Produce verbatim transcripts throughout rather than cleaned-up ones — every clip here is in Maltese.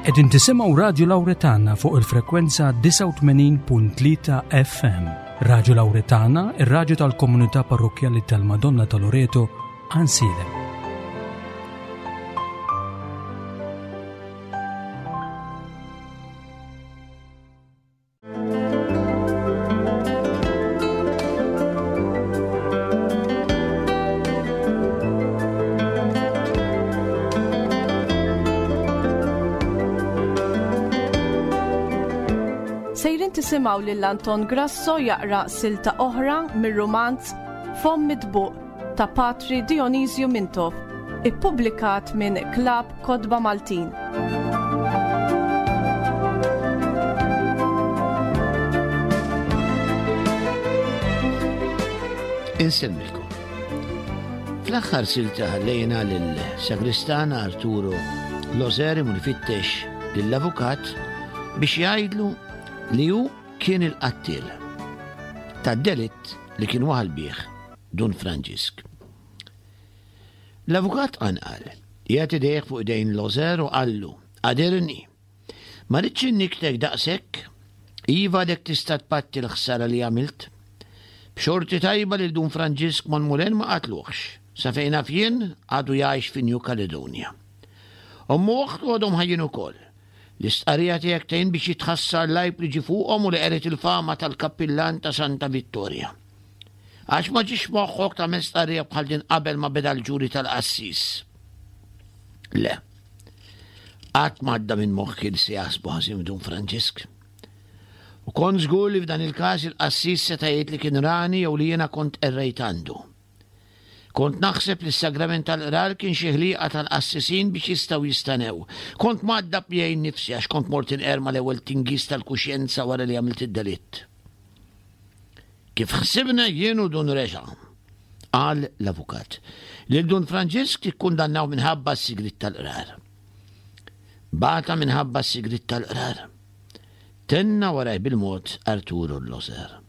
Qegħdin tisimgħu Radju Lawretana fuq il-frekwenza disgħa u tmenin punt tlieta F M. Radju Lawretana, ir-radju tal-Komunità Parrokkjali tal-Madonna ta' Loreto, Għajnsielem. Sejrin tisimgħu lil Anton Grasso jaqra silta oħra mir-rumanz Fomm Mitbuq ta' Patri Dionisju Mintoff, ippubblikat minn Klab Kotba Maltin. Insemmilkom. Fl-aħħar silta ħallejna lil-sagristana Arturo Loser imur ifittex lill-avukat biex jgħidlu li hu kien il-qattil tad-delitt li kien waħal bih Dun Franġisk. L-avukat qanqal, qiegħed idejh fuq idejn Loser u qallu, "Għadirni, ma rridx inniktek daqshekk, iva dek tista' tpatti l-ħsara li għamilt. B'xorti tajba lil Dun Franġisk Monmulen ma qatluhx, sa fejn naf jien għadu jgħix fi New Caledonia. Ommu u oħtu għadhom ħajjin ukoll. L-istqarrija tiegħek tgħin biex jitħassar l-għajb li ġie fuqhom u li qered il-fama tal-kappillan ta' Santa Vittoria. Għax ma ġiex moħħok tagħmel stqarrija bħal din qabel ma beda l-ġuri tal-qassis?" "Le. Qatt m'għadda minn moħħi li se jaħsbu ħażin Dun Franġisk. U kont żgur li f'dan il-każ il-qassis seta' jgħid li kien rani jew li jiena kont qerrejt għandu. Kont naħseb li s-sagrament tal-qrar kien xi ħliqa tal-qassisin biex jistgħu jistanew. Kont mgħaddab miegħi nnifsi għax kont mort inqer mal-ewwel tingiż tal-kuxjenza wara li għamilt id-delitt. Kif ħsibna jien u Dun Reġa'," qal l-avukat, "lil Dun Franġisk ikkundannaw minħabba s-sigriet tal-qrar. Bata minħabba s-sigriet tal-qrar," tenna waraj bil-mod Arturo Loser.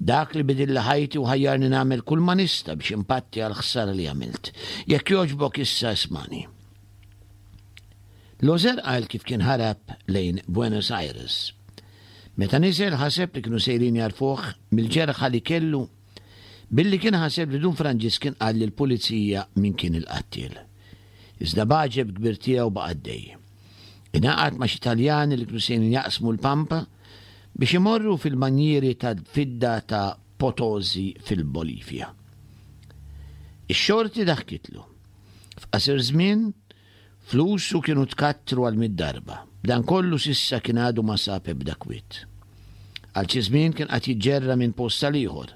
"Dak li bidilli ħajti u ħajjarni nagħmel kull ma nista' biex impatti għal ħsara li għamilt. Jekk jogħġbok issa ismani." Loser qal kif kien ħarab lejn Buenos Aires. Meta niżel ħaseb li kienu sejrin jarfuh mill-ġerħa li kellu billi kien ħaseb li Dun Franġisk kien qal lill-pulizija min kien il-qattiel. Iżda b'għaġeb kbir tiegħu baqa' għaddej. Ingħaqad ma' xi Taljani li kienu sejrin jaqsmu l-Pampa biex imorru fil-manjieri ta' fidda ta' Potosi fil-Bolivja. Ix-xorti daħkitlu. F'qasir żmien, flusu kienu tkattru għal mitt darba. B'dan kollu s'issa kien għadu ma sab ebda kwiet. Għal xi żmien kien qagħad jiġġerra minn post għal ieħor.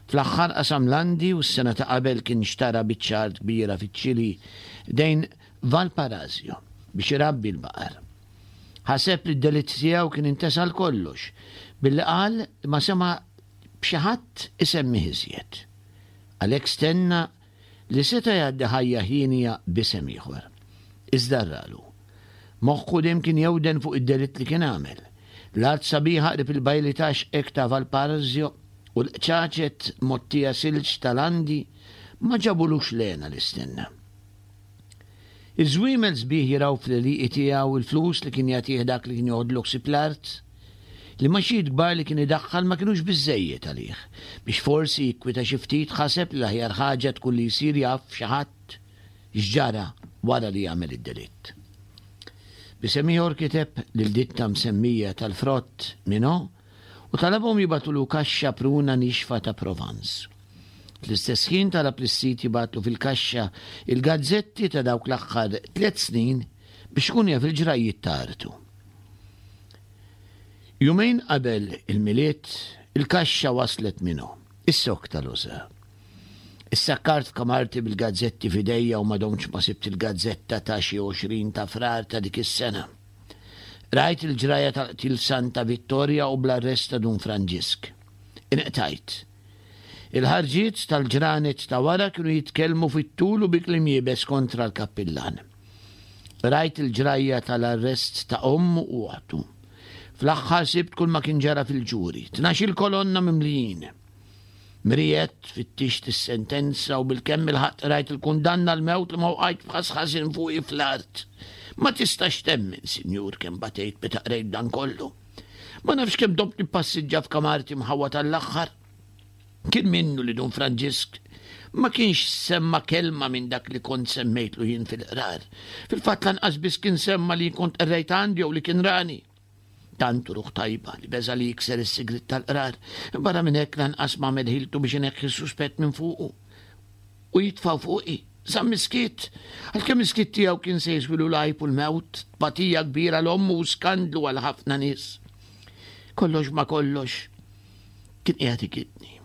Fl-aħħar qasam l-Andi u s-sena ta' qabel kien xtara biċċa art kbira fiċ-Ċili ħdejn Valparaiso biex irabbi l-baqar. Ħaseb li d-delitt tiegħu kien intesa għal kollox billi qal li ma sema' b'xi ħadd isemmih iżjed. Għalhekk stenna li seta' jgħaddi ħajja hienja b'isem ieħor. Iżda rralu. Moħħu dejjem kien jewden fuq id-delitt li kien għamel. L-art sabiħa qrib il-bajli tax-xqek ta' Valparaiso u l-qċaċet mgħottija silġ tal-Andi ma ġabulux l-hena li stenna. Iż-żwiemel sbieħ jirgħu fl-għelieqi tiegħu, il-flus li kien jagħtih dak li kien joħodlu ħsieb l-art, l-imgħaxijiet kbar li kien idaħħal ma kinux biżżejjed għalih. Biex forsi jikkwita xi ftit ħaseb li l-aħjar ħaġa tkun li jsir jaf xi ħadd x'ġara wara li għamel id-delitt. B'isem ieħor kiteb lil ditta msemmija tal-frott Minot u talabhom jibagħtulu kaxxa pruna nixfa ta' Provence. Fl-istess ħin talab lis-sid jibgħatlu fil-kaxxa il-gazzetti ta' dawk l-aħħar tliet snin biex ikun jaf il-ġrajjiet ta' artu. Jumejn qabel il-Milied, il-kaxxa waslet minnu, is-sokk tal-uża. Issakkart f'kamarti bil-gazzetti f'idejja u ma domtx ma sibt il-gazzetta ta' xi għoxrin ta' Frar ta' dik is-sena. Rajt il-ġrajja tal-qtil f'Santa Vittoria u bl-arrest ta' Dun Franġisk. Inqtajt. Il-ħarġiet tal-ġranet ta' wara kienu jitkellmu fit-tul u bi kliem iebes kontra l-kappillan. Rajt il-ġrajja tal-arrest ta' ommu u oħtu. Fl-aħħar sibt kull ma kien ġara fil-ġuri. Tnax-il kolonna mimlijin. Mrijet, fittixt is-sentenza u bilkemm ilħaqt rajt il-kundanna għall-mewt li ma wqajt b'ħass ħażin fuqi fl-art. Ma tistax temmen, sinjur, kemm batejt meta qrejt dan kollu. Ma nafx kemm domt nippassiġġa f'kamarti mħawwad għall-aħħar. Kien minnu li Dun Franġisk ma kienx semma kelma minn dak li kont semmejtlu jien fil-qrar. Fil-fatt lanqas biss kien semma li kont qerrejt għandi jew li kien rani. Tant hu ruħ tajba li beża' li jikser is-sigriet tal-qrar. Barra minn hekk lanqas m'għamel ħiltu biex ineħħi s-suspett minn fuqu u jitfgħu fuqi. Żamm is-skiet, għalkemm is-skiet tiegħu kien se jiswilu l-għajb u l-mewt, tbatija kbira 'l ommu u skandlu għal ħafna nies. Kollox ma kollox, kien qiegħed ikidni.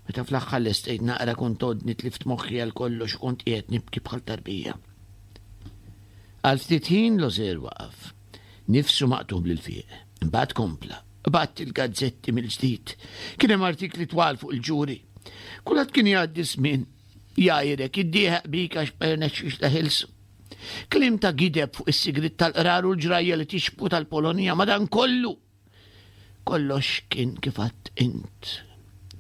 Meta fl-aħħar lestejt naqra kont għodni tlift moħħi għal kollox u kont qiegħed nibki bħal tarbija. Għal ftit ħin Loser waqaf, nifsu maqtugħ bl-ilfiq. Imbagħad kompla. Qbadt il-gazzetti mill-ġdid. Kien hemm artikli twal fuq il-ġuri. Kulħadd kien jgħaddi żmien jgħajrek, iddieħaq bik għax ma rnexxix teħilsu. Kliem ta' gideb fuq is-sigriet tal-qrar u l-ġrajja li tixbhu tal-Polonja, madankollu. Kollox kien kif għedt int.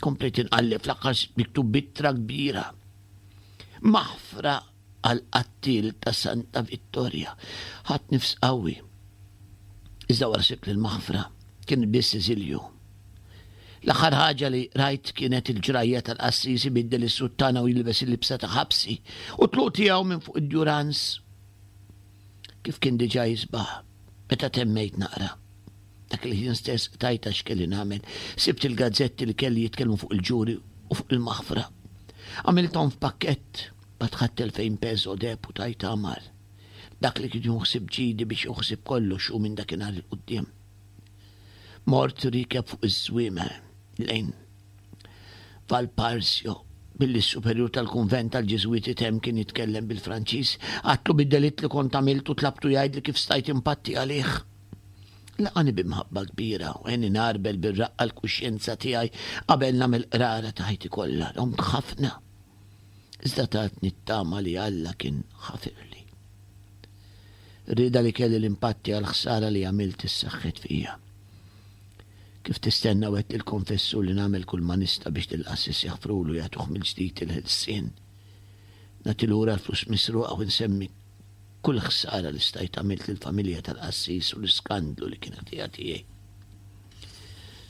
Komplejt inqalleb fl-aħħar sibt miktub b'ittra kbira. Maħfra għall-qattiel ta' Santa Vittoria. Ħadt nifs qawwi. Iżda wara sibt li l-maħfra kienet biss eżilju. L-aħħar ħaġa li rajt kienet il-ġrajja tal-qassis ibiddel is-suttana u jilbes il-libsa ta' ħabsi u t-tluq tiegħu minn fuq id-Durance. Kif kien diġà jisbaħ meta temmejt naqra. Dak il-ħin stess qtajtha x'kelli nagħmel. Sibt il-gazzetti li kelli jitkellmu fuq il-ġuri u fuq il-maħfra. Għamilthom f'pakkett, mbagħad ħadt elfejn peso deheb u tajt Amar. Dak li kien jieħu ħsieb ġidi biex jieħu ħsieb kollox hu minn dakinhar 'il quddiem. Mort riekeb fuq iż-żwiemel lejn Valparsio billi s-superjur tal-kunvent tal-Ġiżwiti t'hemm kien jitkellem bil-Franċiż. Għadtlu bid-delitt li kont għamilt u tlabtu jgħidli kif stajt impatti għalih. Laqani bi mħabba kbira u għenni ngħarbel bir-raqqa l-kuxjenza tiegħi qabel nagħmel qrara ta' ħajti kollha. Domt ħafna. Iżda tatni t-tama li Alla kien ħafirli. Ir-rieda li kelli li npatti għall-ħsara li għamilt issaħħet fija. Kif tistenna wegħedt lill-konfessur li nagħmel kull ma nista' biex lill-qassis jaħfrulu u jagħtuh mill-ġdid il-ħelsien. Nagħti lura l-flus misruqa u nsemmi kull ħsara li stajt għamilt lill-familja tal-qassis u l-iskandlu li kien ħtija tiegħi.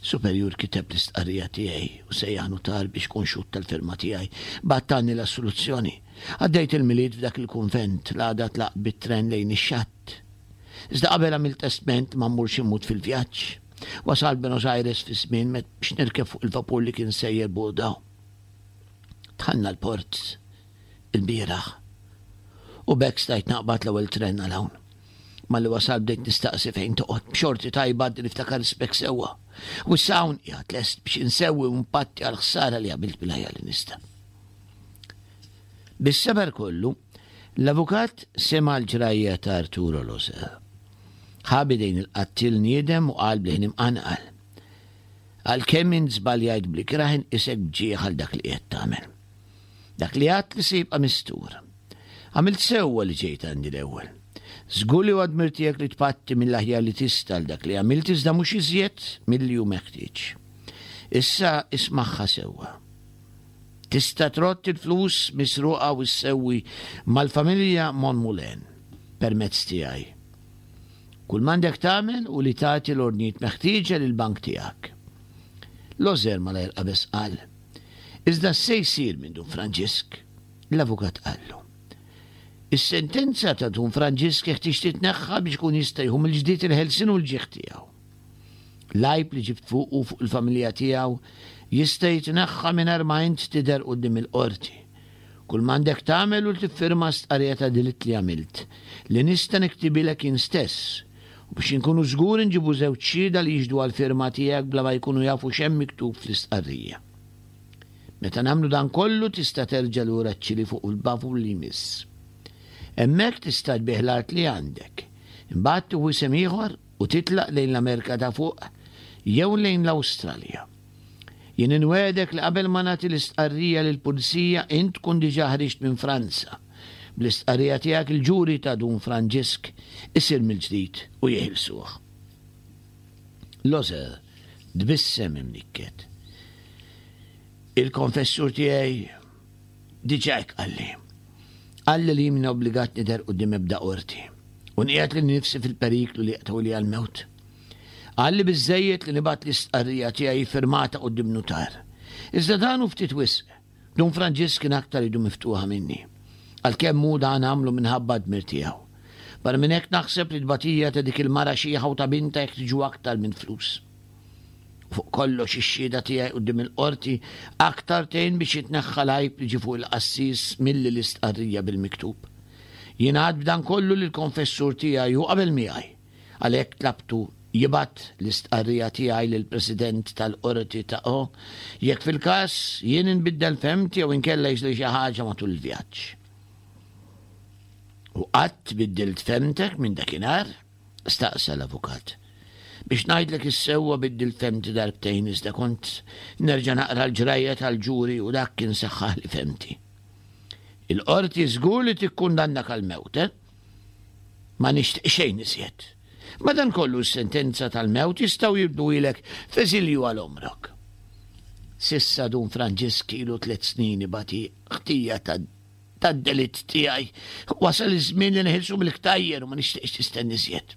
Superjur kiteb l-istqarrija tiegħi u sejjaħ nutar biex ikun xhud tal-firma tiegħi. Bagħat tani l-assoluzzjoni. Għaddejt il-Milied f'dak il-kunvent, l-għada tlaqt bit-tren lejn ix-xatt. Iżda qabel għamilt testment ma mmurx immut fil-vjaġġ. Wasalt Buenos Aires fi żmien biex nirkeb fuq il-vapur li kien sejjer Bordeaux. Dħalna l-port ilbieraħ u b'hekk stajt naqbad l-ewwel tren għal hawn. Malli wasalt bdejt nistaqsi fejn toqgħod. B'xorti tajba għadni niftakar ismek sewwa. U issa hawn qiegħed lest biex insewwi u npatti għall-ħsara li għamilt bil-ħajja li nista'. Bis-seber kollu, l-avukat sema' l-ġrajja ta' Arturo Loser. Ħa b'idejn il-qattiel niedem u qal b'leħen imqanqal, Għalkemm int żbaljajt bl-ikrah inqisek b'ġieħ għal dak li qiegħed tagħmel. Dak li għedt li se jibqa' mistur. Għamilt sewwa li ġejt għandi l-ewwel. Żgur li huwa dmir tiegħek li tpatti mill-aħjar li tista' għal dak li għamilt iżda mhux iżjed milli hu meħtieġ. Issa ismagħha sewwa. Tista' trodd il-flus misruqa u ssewwi mal-familja Monmoulin permezz tiegħi. Kull m'għandek tagħmel hu li tagħti l-ordnijiet meħtieġa lill-bank tiegħek. Lozer malajr qabeż qal, Iżda x'se jsir minn Dun Franġisk? L-avukat qallu, Is-sentenza ta' Dun Franġisk jeħtieġ titneħħa biex ikun jista' jieħu mill-ġdid il-ħelsien u l-ġieħ tiegħu. L-għajb li ġibt fuqu u fuq il-familja tiegħu jista' jitneħħa mingħajr ma int tidher quddiem il-qorti. Kull m'għandek tagħmel hu li tiffirma stqarrija ta' delitt li għamilt, li nista' niktibilek jien stess, u biex inkunu żguri nġibu żewġ xhieda li jixhdu għall-firma tiegħek bla ma jkunu jafu x'hemm miktub fl-istqarrija. Meta nagħmlu dan kollu tista' terġa' lura ċ-Ċili fuq il-vapur li jmiss. Hemmhekk tista' tbigħ l-art li għandek. Imbagħad tieħu isem ieħor u titlaq lejn l-Amerika ta' Fuq jew lejn l-Awstralja. Jien inwegħdek li qabel ma nagħti l-istqarrija lill-pulizija int tkun diġà ħriġt minn Franza. Bl-istqarrija tiegħek il-ġuri ta' Dun Franġisk isir mill-ġdid u jeħilsuh. Lozer tbissem imnikket. Il-konfessur tiegħi diġà hekk qalli. Qalli li jien m'ieni obbligat nidher quddiem ebda qorti. U nqiegħed lili nnifsi fil-periklu li jaqtgħuli għall-mewt. Qalli biżżejjed li nibgħat l-istqarrija tiegħi firmata quddiem nutar. Iżda dan hu ftit wisq. Dun Franġisk kien aktar idu miftuħa minni. Għalkemm hu dan għamlu minħabba d-dmir tiegħu. Barra minn hekk naħseb li t-tbatija ta' dik il-mara xiħa u ta' bintha jeħtieġu aktar minn flus. U fuq kollox ix-xhieda tiegħi quddiem il-qorti aktar tgħin biex jitneħħa l-għajb li ġie fuq il-qassis milli l-istqarrija bil-miktub. Jien għedt b'dan kollu lill-konfessur tiegħi u qabel miegħi. Għalhekk tlabtu jibgħat l-istqarrija tiegħi lill-President tal-Qorti ta' O jekk fil-każ jien inbiddel fehmti jew inkella jiġri xi ħaġa matul il-vjaġġ. U qatt biddilt fehmtek minn dakinhar? staqsa l-avukat. Biex ngħidlek is-sewwa biddilt fehmti darbtejn iżda kont nerġa' naqra l-ġrajja tal-ġuri u dak kien saħħaħli fehmti. Il-qorti żgur li tikkundannak għall-mewt, eh? Ma nixtieq xejn iżjed. Madankollu s-sentenza tal-mewt jistgħu jibdluhielek f'eżilju għal għomrok. S'issa Dun Franġisk ilu tliet snin ibati ħtija tad-delitt tiegħi. Wasal iż-żmien li neħilsu mill-ktajjer u ma nixtieqx nistenna iżjed.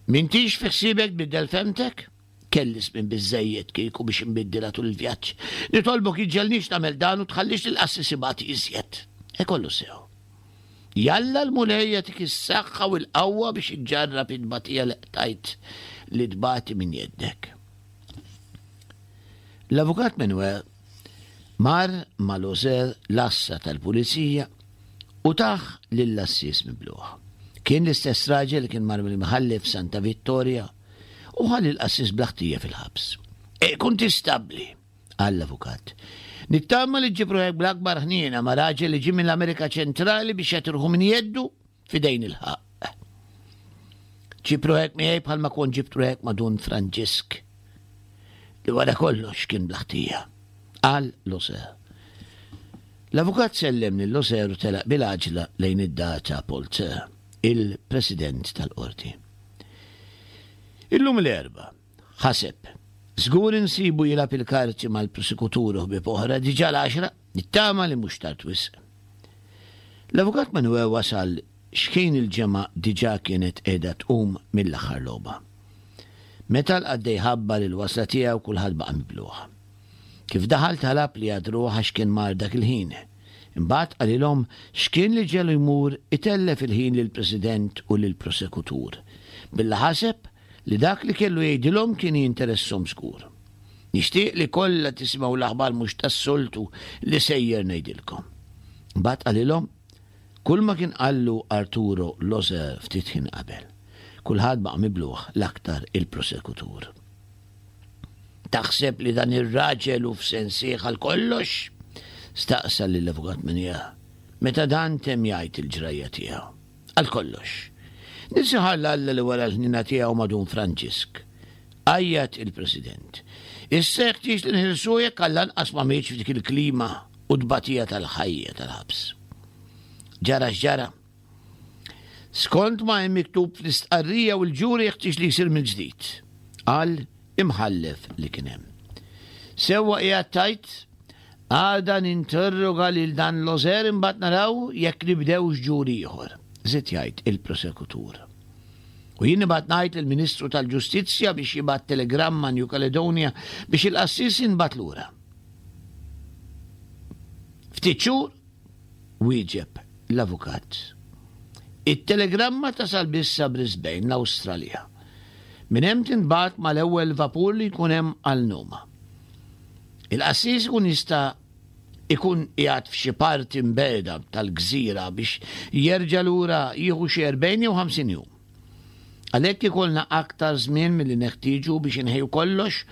M'intix fi ħsiebek tbiddel fehmtek? Kelli żmien biżżejjed kieku biex inbiddilha tul il-vjaġġ. Nitolbok iġġegħelnix nagħmel dan u tħallix lill-qassis ibati iżjed. E kollu sew. Jalla l-Mulej jagħtik is-saħħa u l-qawwa biex iġġarrab it-tbatija li qtajt li tbati minn jeddek. L-Avukat Manuel mar ma' Loser l-għassa tal-pulizija u tah lill-qassis mibluħ. Kien l-istess raġel li kien mar mill-imħallef Santa Vittoria u ħa lill-qassis bla ħtija fil-ħabs. E kuntistabbli, qal l-avukat. Nittama li ġġib ruħek bl-akbar ħniena ma' raġel li ġie mill-Amerika Ċentrali biex jagħti ruħu minn jeddu f'idejn il-ħaqq. Ġib ruħek miegħi bħalma kont ġibt ruħek ma' Dun Franġisk, li wara kollox kien bla ħtija, qal Loser. L-avukat sellem lil Loser u telaq bil-għaġla lejn id-dar ta' Polter, il-president tal-qorti. Illum l-Erbgħa, ħaseb. Żgur insibu jilgħab il-karti mal-prosekutur u ħbieb oħra, diġà l-għaxra, nittama li mhux tard wisq. L-avukat Manuel wasal x'kien il-ġemgħa diġà kienet qiegħda tqum mill-aħħar logħba. Meta l-qaddej ħabbar il-wasla tiegħu kulħadd baqa' mibluħ. Kif daħal talab li jagħdruh għax kien mar dak il-ħin. Imbagħad qalilhom x'kien li ġelu jmur itellef il-ħin lill-President u lill-prosekutur. Billa ħaseb li dak li kellu jgħidilhom kien jinteresshom żgur. Nixtieq li kollha tisimgħu l-aħbar mhux tas-soltu li sejjer ngħidilkom. Imbagħad qalilhom kull ma kien qallu Arturo Loser ftit ħin qabel. Kulħadd baqa' mibluħ, l-aktar il-prosekutur. Taħseb li dan ir-raġel hu f'sensih għal kollox? Staqsa lill-avukat Menja meta dan temm jgħid il-ġrajja tiegħu. Għal kollox. Nisiħar l-Alla li wara l-ħnina tiegħu ma' Dun Franġisk. Għajjat il-President. Issa jeħtieġ li nħilsu jekk għall-anqas ma mietx f'dik il-klima u tbatija tal-ħajja tal-ħabs. Ġara x'ġara. Skont ma hemm miktub fl-istqarrija u l-ġuri jeħtieġ li jsir mill-ġdid. Qal imħallef li kien hemm. Sewwa qiegħed tajt, għada ninterroga lil dan Loser imbagħad naraw jekk nibdewx ġuri ieħor, żied jgħid il-prosekutur. U jien nibgħat ngħid lill-Ministru tal-Ġustizzja biex jibgħat telegramma New Caledonia biex il-qassis jinbagħat lura. Ftit xhur wieġeb l-avukat. It-telegramma tasal biss sa Brisbane, l-Awstralja. Minn hemm tinbagħat mal-ewwel vapur li jkun hemm għal Numa. Il-qassis ikun jista' ikun qiegħed f'xi parti mbeda tal-gżira biex jerġa' lura jieħu xi erbgħin jew ħamsin jum. Għalhekk ikollna aktar żmien milli neħtieġu biex inħejju kollox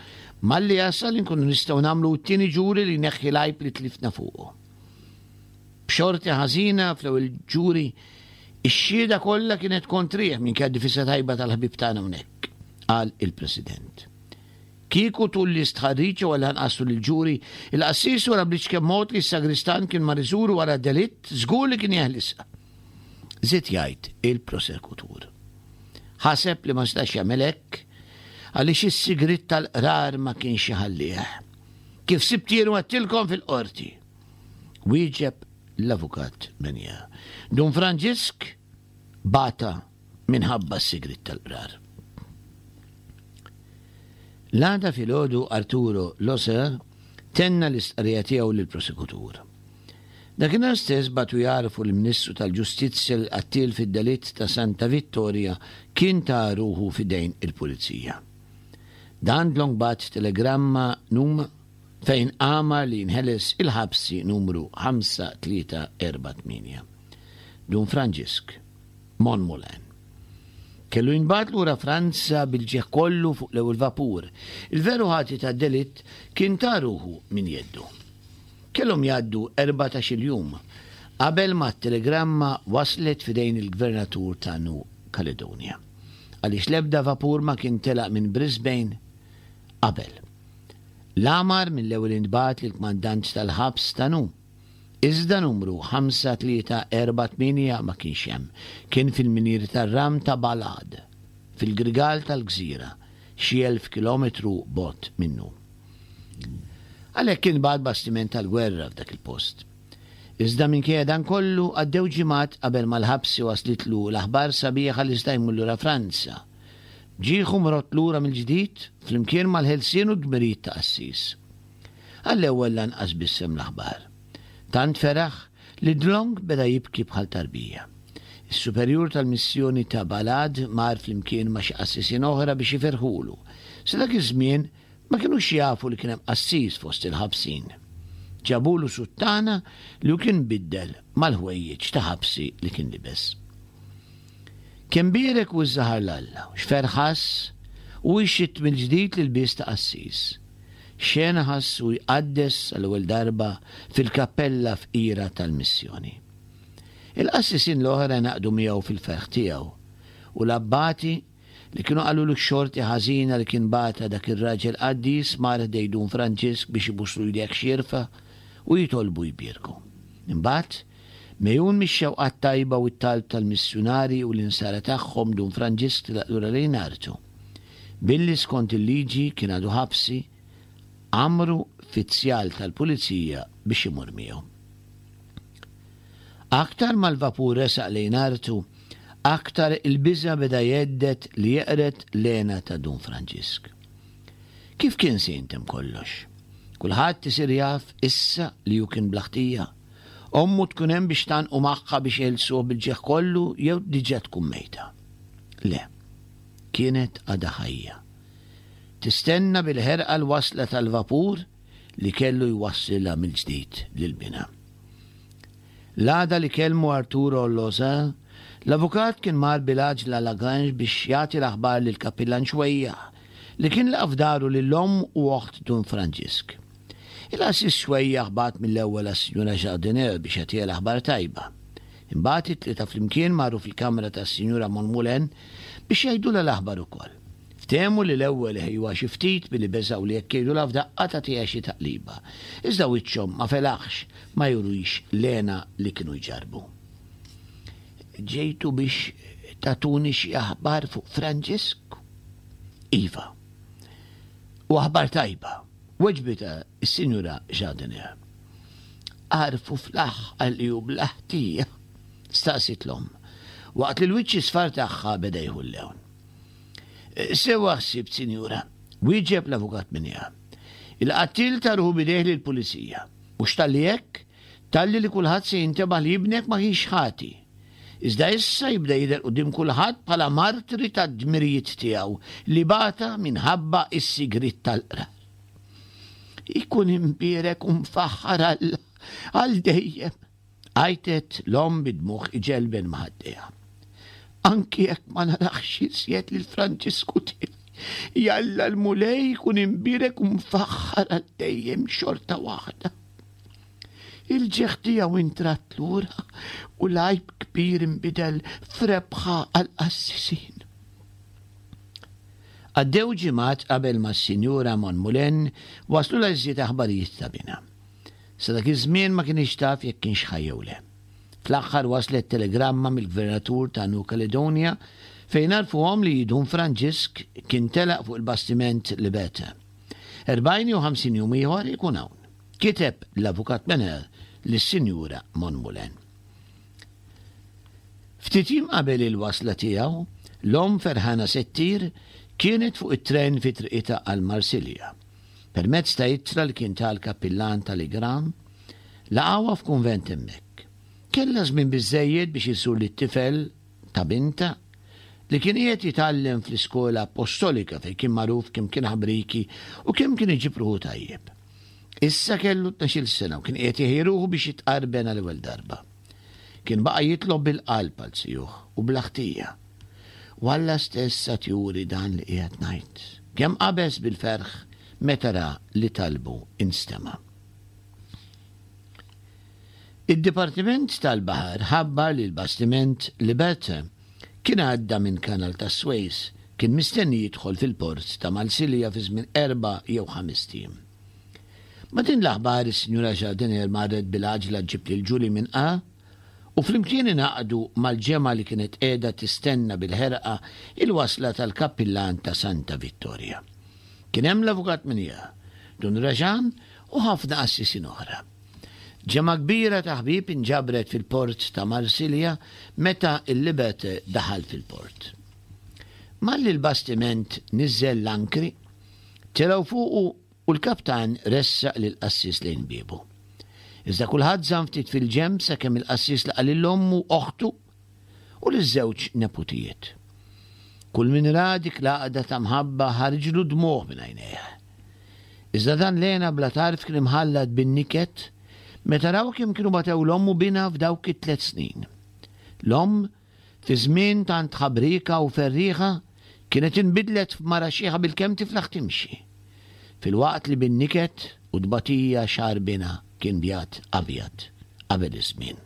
malli jasal inkunu nistgħu nagħmlu t-tieni ġuri li jneħħi l-għajb li tlifna fuqu. B'xorti ħażina fl-ewwel ġuri ix-xhieda kollha kienet kontrih minkejja d-difisa tajba tal-ħbieb tagħna hawnhekk, qal il-President. Kieku tul l-istħarriġ u għall-anqas tul il-ġuri, il-qassis wara bl-iċken mod li s-sagristan kien mar iżuru wara delitt, żgur li kien jeħlisha. Żied jgħid il-prosekutur. Ħaseb li ma setax jagħmel hekk għaliex is-sigriet tal-qrar ma kienx iħallih. Kif sibt jien u għedtilkom fil-qorti? Wieġeb l-avukat Menja. Dun Franġisk bata minħabba s-sigriet tal-qrar. L-għada filgħodu Arturo Loser tenna l-istqarrija tiegħu lill-prosekutur. Dakinhar stess bagħtu jgħarrfu l-Ministru tal-Ġustizzja li l-qattiel fid-delitt ta' Santa Vittoria kien ta ruħu f'idejn il-pulizija. Dan dlonk bagħat telegramma num fejn amar li jinħeles il-ħabsi numru ħamsa tlieta erba' tmienja. Dun Franġisk, Monmoulin. Kellu jinbagħat lura Franza bil-ġieħ kollu fuq l-ewwel vapur. Il-veru ħati tad-delitt kien ta ruħu minn jeddu. Kellhom jgħaddu erbatax-il jum qabel ma t-telegramma waslet f'idejn il-gvernatur ta' New Caledonia, għaliex l-ebda vapur ma kien telaq minn Brisbane qabel. L-amar mill-ewwel intbagħat lill-kmandant tal-ħabs ta' New. Iżda numru ħamsa tlieta erba' tmienja ma kienx hemm, kien fil-minieri tar-ram ta' Balad, fil-grigal tal-gżira, xi elf kilometru bogħod minnu. Għalhekk kien bagħat bastiment tal-gwerra f'dak il-post. Iżda minkejja dan kollu għaddew ġimgħat qabel ma l-ħabsi waslitlu l-aħbar sabiħa li sta jmur lura Franza. Ġieħu mrott lura mill-ġdid flimkien mal-ħelsien u d-dmirijiet ta' qassis. Għall-ewwel lanqas bissem l-aħbar. Tant feraħ li dlonk beda jibki bħal tarbija. Is-superjur tal-missjoni ta' Balad mar flimkien ma' xi qassisin oħra biex iferħulu. Sa dak iż-żmien ma kinux jafu li kien hemm qassis fost il-ħabsin. Ġabulu suttana li hu kien biddel mal-ħwejjeġ ta' ħabsi li kien libes. Kien bierek u żaħar l-Alla, x'ferħ ħass u jxitt mill-ġdid l-ilbies ta' qassis. Xena ħass u jqaddes għall-ewwel darba fil-kappella fqira tal-missjoni. Il-qassisin l-oħra naqdu miegħu fil-ferħ tiegħu u l-abbati li kienu qalulu x-xorti ħażina li kien bata dak ir-raġel qaddis mar ħdej Dun Franġisk biex ibuslu jdejh xierfa u jitolbu jbierku. Imbagħad, megħjun mix-xewqat tajba u t-talb tal-missjunari u l-insara tagħhom Dun Franġisk telaq lura lejn artu. Billi skont il-liġi kien għadu ħabsi, għamru fizzjal tal-pulizija biex imur miegħu. Aktar mal-vapur resaq lejn artu, aktar il-biża' beda jgħeddet li jeqred l-hena ta' Dun Franġisk. Kif kien se jintem kollox? Kulħadd isir jaf issa li hu kien bla ħtija. Ommu tkun hemm biex tgħannqu magħha biex jeħilsuh bil-ġieħ kollu jew diġà tkun mejta. Le, kienet għadha ħajja. Tistenna bil-ħerqa l-wasla tal-vapur li kellu jwassilha mill-ġdid lil binha. L-għada li kellmu Arturo Loza, l-avukat kien mar bil-għaġla Lagrange biex jagħti l-aħbar lil Kapillan Xwejjaħ li kien laqa' f'daru lil omm u oħt Dun Franġisk. Il-qassis Xwejjaħ bagħat mill-ewwel għas-Sinjura Jardinier biex jagħtiha l-aħbar tajba. Imbagħad it-tlieta flimkien marru fil-kamra tas-Sinjura Monmoulin biex jgħidulha l-aħbar ukoll. Ftehmu li l-ewwel iħejjuha xi ftit billi beżgħu li jekk jgħidulha f'daqqa tagħtiha xi taqliba. Iżda wiċċhom ma felaħx ma jurux l-hena li kienu jġarrbu. Ġejtu biex tagħtuni xi aħbar fuq Franġisk? Iva. U aħbar tajba, weġbitha s-Sinjura Jardinier. Għarfu fl-aħħar li hu bla ħtija, staqsiet l-omm, waqt li l-wiċċ isfar tagħha beda jieħu l-lewn. Sewa ħsibt, Sinjura, wieġeb l-avukat Minja. Il-qattil ta ruħu b'idejh lill-pulizija. Mhux talli hekk, talli li kulħadd se jintebaħ li ibnek ma kienx ħati. Iżda issa jibda jidher quddiem kulħadd bħala martri tad-dmirijiet tiegħu li bata minħabba s-sigriet tal-qrar. Ikun imbierek u mfaħħar Alla għal dejjem, għajtet l-omm bid-dmugħ iġelben ma' ħaddejha. Anki jekk ma narax iżjed lil Franġisku tiegħi, jalla l-Mulej ikun imbierek u mfaħħar għal dejjem xorta waħda. Il-ġieħ tiegħu intradd lura u l-għajb kbir inbidel f'rebħa għall-qassisin. Għaddew ġimgħat qabel ma s-Sinjura Monmoulin waslulha iżjed aħbarijiet ta' binha. Sa dak iż-żmien ma kienx taf jekk kienx ħaj jew le. Fl-aħħar waslet telegramma mill-Gvernatur ta' New Caledonia fejn għarfuhom li Dun Franġisk kien telaq fuq il-bastiment Liberté. Erbgħin jew ħamsin jum ieħor ikun hawn. Kiteb l-avukat Mener lis-Sinjura Monmoulin. Ftit jiem qabel il-wasla tiegħu, L-omm ferħana se ttir kienet fuq it-tren fi triqitha għal Marsilja. Permezz ta' ittra li kien ta l-kappillan tal-Igram, laqgħuha f'kunvent hemmhekk. Kellha żmien biżżejjed biex iżżur lit-tifel ta' bintha li kien qiegħed jitgħallem fl-iskola apostolika fejn kien magħruf kemm kien ħabriki u kemm kien iġib ruħu tajjeb. Issa kellu tnax-il sena u kien qiegħed iħejji ruħu biex jitqarben għal ewwel darba. Kien baqa' jitlob bil-qalb għal zijuh u bla ħtija. U Alla stess għad juri dan li qiegħed ngħid. Kemm qabeż bil-ferħ meta ra li talbu instema'. Id-Dipartiment tal-Baħar ħabbar li l-bastiment Liberté kien għadda minn Kanal tas-Swejs, kien mistenni jidħol fil-port ta' Marsilja fi żmien erba' jew ħamest ijiem. Ma' din l-aħbar is-Sinjura Jardinier marret bil-għaġla ġġib lil Julie minn A u flimkien ingħaqdu mal-ġemgħa li kienet qiegħda tistenna bil-ħerqa il-wasla tal-kappillan ta' Santa Vittoria. Kien hemm l-Avukat Minja, Dun Rajan u ħafna qassisin oħra. Ġemgħa kbira ta' ħbieb inġabret fil-port ta' Marsilja meta l-Liberté daħal fil-port. Malli l-bastiment niżżel l-ankri, telgħu fuqu u l-kaptan ressaq lill-qassis lejn biebu. Iżda kulħadd żamm ftit fil-ġenb sakemm il-qassis laqa' lil ommu, oħtu u liż-żewġ neputijiet. Kull min ra dik l-għaqda ta' mħabba ħarġlu dmugħ minn għajnejh. Iżda dan l-hena bla tarf kien imħallat bin-niket meta raw kemm kienu batew l-omm u binha f'dawk it-tliet snin. L-omm, fi żmien tant ħabrieka u ferrieħa, kienet inbidlet f'mara xiħa bilkemm tiflaħ timxi, filwaqt li bin-niket u tbatija xagħar binha kien bjad abjad qabel iż-żmien.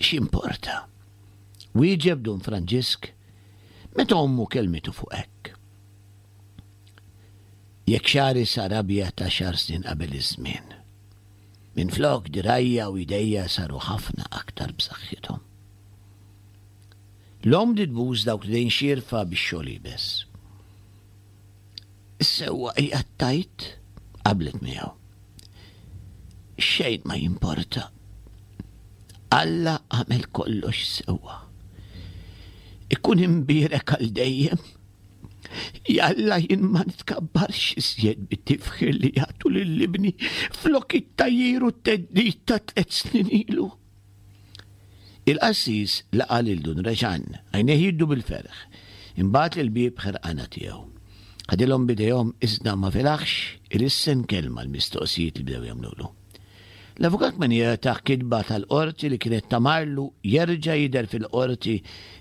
X'jimporta? Wieġeb Dun Franġisk meta ommu kellmitu fuq hekk. Jekk xagħri sar abjad għaxar snin qabel iż-żmien, minflok dirgħajja u jdejja saru ħafna aktar b'saħħithom. L-omm bdiet tbus dawk l-idejn xierfa bix-xogħol iebes. Is-sewwa qiegħed tgħid, qablet miegħu. Xejn ma jimporta. Alla għamel kollox sewwa. Ikun imbierek għal dejjem. Jalla jien ma nitkabbarx iżjed bit-tifħir li jagħtu lil ibni flok it-tgħajjir u t-theddid ta' tliet snin ilu. Il-qassis laqa' lil Dun Reġan, għajnejh jiddu bil-ferħ, imbagħad lill-bieb ħerqana tiegħu. Ħadilhom b'idejhom iżda ma felaħx ilissen kelma għall-mistoqsijiet li bdew jagħmlulu. L-Avukat Menier tah kitba tal-qorti li kienet tamarlu jerġa' jidher fil-qorti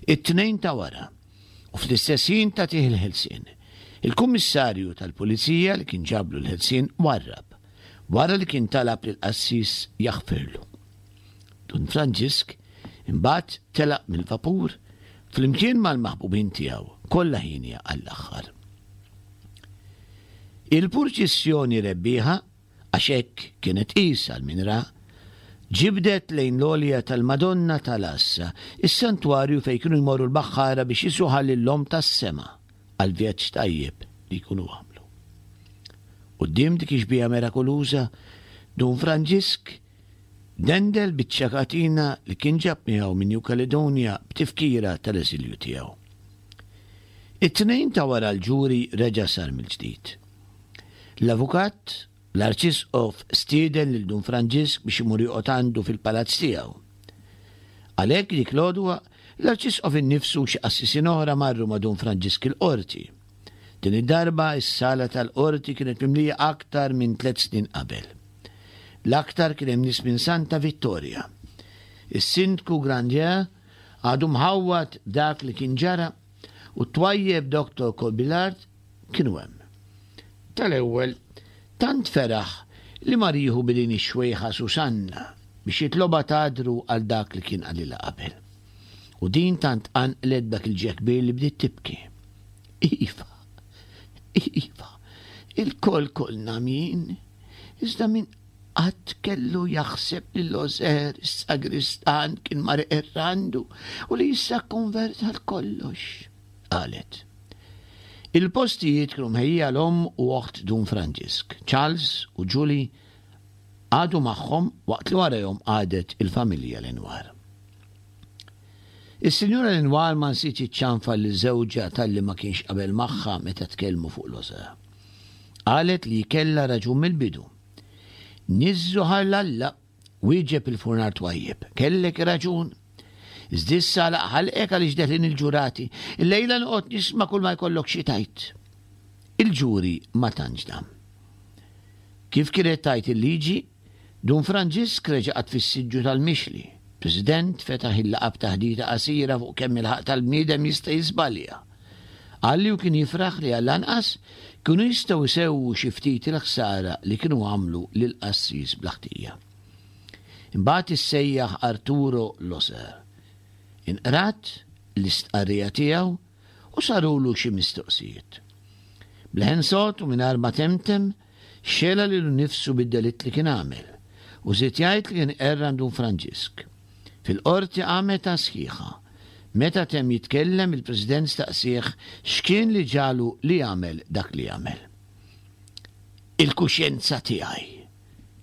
it-Tnejn ta' wara u fl-istess ħin tagħtih il-ħelsien. Il-Kummissarju tal-Pulizija li kien ġablu l-ħelsien warrab, wara li kien talab lill-qassis jaħfirlu. Dun Franġisk imbagħad telaq mill-vapur flimkien mal-maħbubin tiegħu, kollha hienja għall-aħħar. Il-purċissjoni rebbieħa, għax hekk kienet qisha għal min ra, ġibdet lejn l-għolja tal-Madonna ta' l-Għassa, is-santwarju fejn kienu jmorru l-baħħara biex jisuha lill-Omm tas-Sema għall-vjaġġ tajjeb li jkunu għamlu. Quddiem dik ix-xbieha merakoluża, Dun Franġisk dendel biċċa katina li kien ġab miegħu minn New Caledonia b'tifkira tal-eżilju tiegħu. It-Tnejn ta' wara l-ġuri reġa' sar mill-ġdid. L-avukat, l-Arċisqof stieden lil Dun Franġisk biex imur joqgħod għandu fil-palazz tiegħu. Għalhekk dik l-għodwa, l-Arċisqof innifsu u xi qassisin oħra marru ma' Dun Franġisk il-qorti. Din id-darba s-sala tal-qorti kienet mimlija aktar minn tliet snin qabel. L-aktar kien hemm nies minn Santa Vittoria. Is-Sindku Grandier għadu mħawwad b'dak li kien ġara u t-twajjeb Dottor Corbillard kienu hemm. Tal-ewwel, tant feraħ li mar jieħu b'idejn ix-xwejħa Susanna biex jitlobha tagħdru għal dak li kien qalilha qabel. U din tant tqanqlet b'dak il-ġieħ kbir li bdiet tibki. Iva, iva, ilkoll kollna għamjin, iżda min qatt kellu jaħseb li Loser, is-sagristan, kien mar iqerr għandu u li issa kkonverta għal kollox, qalet. Il-postijiet kienu mħejjija għal omm u oħt Dun Franġisk. Charles u Julie qagħdu magħhom waqt li warajhom qagħdet il-familja Lenoir. Is-Sinjura Lenoir ma nsietx iċċanfar lil żewġha talli ma kienx qabel magħha meta tkellmu fuq Loser. Qalet li kellha raġun mill-bidu. Niżżu ħar Alla, wieġeb il-furnar twajjeb. Kellek raġun. Iżda issa għalaq ħalqek għaliex deħlin il-ġurati. Illejla noqgħod nisma' kull ma jkollok xi tgħid. Il-ġuri ma tantx dam. Kif kienet tgħid il-liġi, Dun Franġisk reġa' qagħad fis-siġġu tal-mixli. President fetaħ il-laqgħa b'taħdita qasira fuq kemm il-ħaqq tal-bniedem jista' jiżbalja. Qal li u kien jifraħ li għall-anqas kienu jistgħu jsewwu xi ftit il-ħsara li kienu għamlu lill-qassis bla ħtija. Imbagħad issejjaħ Arturo Loser. Inqrat l-istqarrija tiegħu u sarulu xi mistoqsijiet. B'leħen sod u mingħajr ma temtem, xela lilu nnifsu bid-delitt li kien għamel u żied jgħid li kien qerr Dun Franġisk. Fil-qorti qamet sħiħa. Meta temm jitkellem, il-President staqsieh x'kien li ġagħlu li jagħmel dak li għamel. "Il-kuxjenza tiegħi",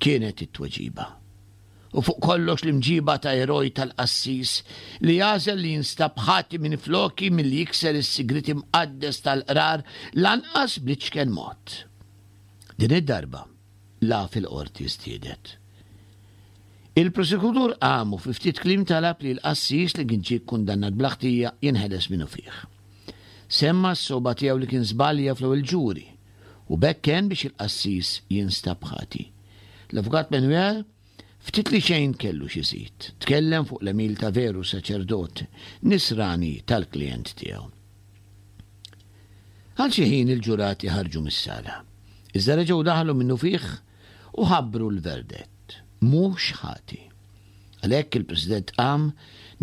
kienet it-tweġiba. "U fuq kollox l-imġiba ta' eroj tal-qassis li għażel li jinstab ħati minn floki milli jikser is-sigrit imqaddes tal-qrar lanqas bl-iċken mod." Din id-darba la fil-qorti żdiedet. Il-prosekutur qam u fi ftit kliem talab li l-qassis li kien ġie kundannat bla ħtija jinħeles minnufih. Semma s-sogħba tiegħu li kien żbalja fl-ewwel ġuri u b'hekk kien biex il-qassis jinstab ħati. L-avukat Manuel ftit li xejn kellu x'iżid. Tkellem fuq l-għemil ta' veru saċerdot nisrani tal-klient tiegħu. Għal xi ħin il-ġurati ħarġu mis-sala. Iżda reġgħu daħlu minnufih u ħabbru l-verdett. Mhux ħati. Għalhekk il-President qam,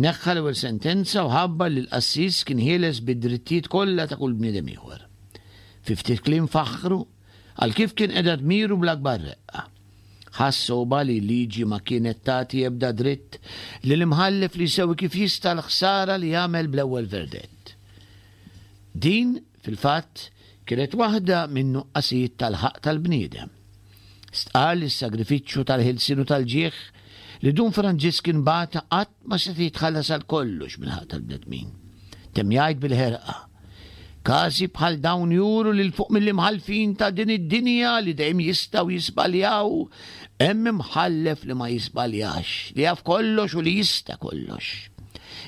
neħħa l-ewwel sentenza u ħabbar li l-qassis kien ħieles bid-drittijiet kollha ta' kull bniedem ieħor. Fi ftit kliem faħħru għal kif kien qeda dmiru bl-akbar reqqa. Ħass sogħba li liġi ma kienet tagħti ebda dritt li l-imħallef li jsewwi kif jista' l-ħsara li jagħmel bl-ewwel verdett. Din, fil-fatt, kienet waħda minn nuqqasijiet tal-ħaqq tal-bniedem. Stqarr li s-sagrifiċċju tal-ħelsien u tal-ġieħ li Dun Franġisk bata qatt ma se jitħallas għal kollox mill-ħaqq tal-bnedmin. Temm jgħid bil-ħerqa. Każi bħal dawn juru li 'l fuq mill-imħallfin ta' din id-dinja li dejjem jistgħu jiżbaljaw, hemm imħallef li ma jiżbaljax, li jaf kollox u li jista' kollox.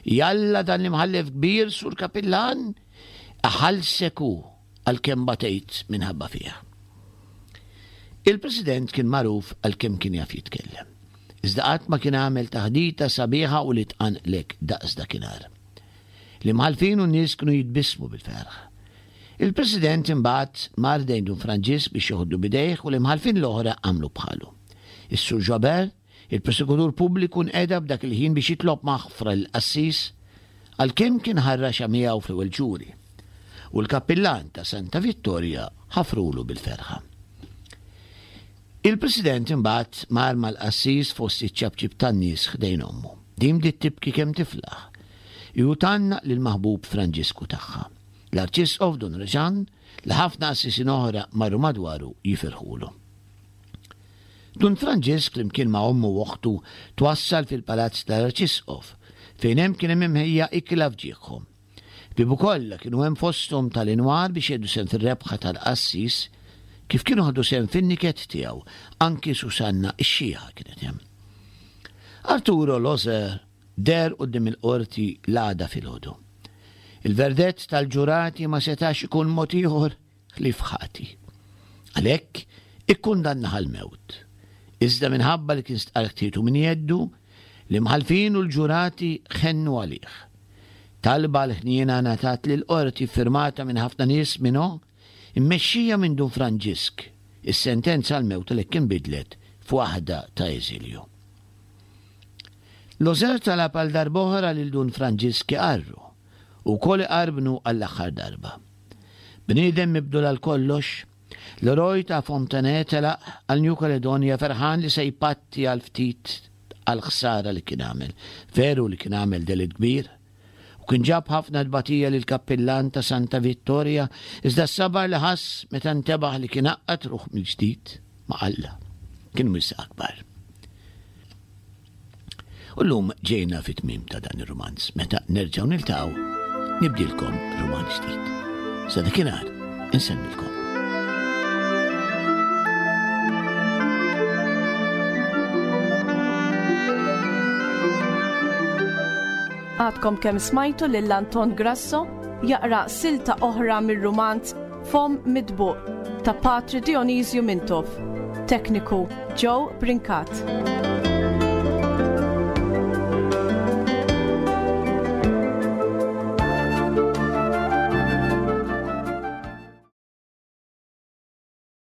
Jalla dan l-imħallef kbir, Sur Kapillan, iħallsek hu għal kemm batejt minħabba fih. Il-President kien magħruf għal kemm kien jaf jitkellem. Iżda qatt ma kien għamel taħdita sabiħa u li tqanqlek daqs dakinhar. L-imħallfin u n-nies kienu jitbissmu bil-ferħ. Il-President imbagħad mar ħdejn Dun Franġisk biex joħodlu b'idejh u l-imħallfin l-oħra għamlu bħalu. Is-Sur Jobert, il-prosekutur pubbliku, nqeda b'dak il-ħin biex jitlob maħfra l-qassis għal kemm kien ħarraxa miegħu fl-ewwel ġuri. U l-kappillan ta' Santa Vittoria ħafrulu bil-ferħa. Il-President imbagħad mar mal-qassis fost iċ-ċapċip tan-nies ħdejn ommu. Din bdiet tibki kemm tiflaħ. Ju tgħannaq lill-maħbub Franġisku tagħha. L-Arċisqof Dun Reġan li ħafna qassisin oħra marru madwaru jifirħulu. Dun Franġisk flimkien ma' ommu u oħtu twassal fil-palazz tal-Arċisqof fejn hemm kien hemm imħejja ikla f'ġieħhom. Bibu kollha kienu hemm fosthom tal-inwar biex jieħdu sehem fir-rebħa tal-qassis kif kienu ħadu sehem fin-niket tiegħu, anki Susanna ix-xiħa kienet hemm. Arturo Loser deher quddiem il-qorti l-għada filgħodu. Il-verdett tal-ġurati ma setax ikun mod ieħor ħlief ħati. Għalhekk ikkundannah għall-mewt. Iżda minħabba li kien stqarr ħtietu minn jeddu, l-imħallfin u l-ġurati ħennu għalih. Talba l-ħniena ngħatat lill-qorti firmata minn ħafna nies minnu, immexxija minn Dun Franġisk. Is-sentenza għal-mewt li kien bidlet f'waħda ta' eżilju. Loser talab għal darb'oħra lil Dun Franġisk iqarru u wkoll iqarbnu għall-aħħar darba. Bniedem mibdul għal kollox, l-eroj ta' Fontenay telaq għal New Caledonia ferħan li se jpatti għal ftit għal ħsara li kien għamel. Veru li kien għamel delitt kbir u kien ġab ħafna tbatija lil kappillan ta' Santa Vittoria, iżda s-sabar li ħass meta ntebaħ li kien għaqqad ruħu mill-ġdid ma' Alla kien wisq akbar. U llum ġejna fit-tmiem ta' dan ir-rumanz. Meta nerġgħu niltaqgħu, nibdilkom rumanz ġdid. Sa dakinhar, insellmilkom. Għadkom kemm smajtu lil Anton Grasso jaqra silta oħra mir-rumanz Fomm Mitbuq ta' Patri Dionisju Mintoff. Tekniku Joe Brincat.